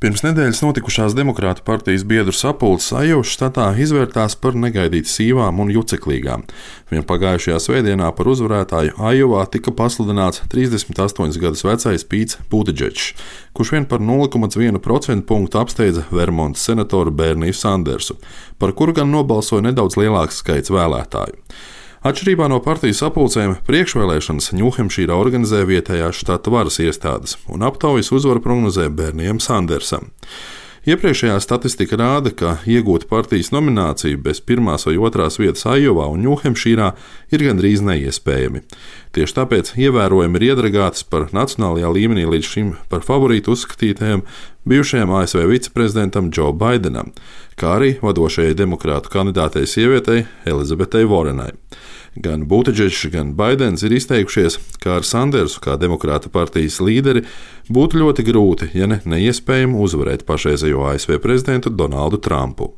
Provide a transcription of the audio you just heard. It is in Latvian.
Pirms nedēļas notikušās Demokrātu partijas biedru sapulces Ajovas štatā izvērtās par negaidīti sīvām un juceklīgām. Vien pagājušajā svētdienā par uzvarētāju Ajovā tika pasludināts 38 gadus vecais Pīts Butidžečs, kurš vien par 0,1% punktu apsteidza Vermontas senatoru Berniju Sandersu, par kuru gan nobalsoja nedaudz lielāks skaits vēlētāju. Atšķirībā no partijas sapulcēm, priekšvēlēšanas Ņūhempšīrā organizē vietējās štata varas iestādes, un aptaujas uzvaru prognozē Bernijam Sandersam. Iepriekšējā statistika rāda, ka iegūt partijas nomināciju bez pirmās vai otrās vietas Ajovā un Ņūhempšīrā ir gandrīz neiespējami. Tieši tāpēc ievērojami ir iedragātas par nacionālajā līmenī līdz šim par favorītu uzskatītajam bijušajam ASV viceprezidentam Džo Baidenam, kā arī vadošajai demokrātu kandidātei sievietei Elizabetei Vorenai. Gan Butidžečs, gan Baidens ir izteikušies, ka ar Sandersu kā demokrāta partijas līderi būtu ļoti grūti, ja ne neiespējami uzvarēt pašreizējo ASV prezidentu Donaldu Trumpu.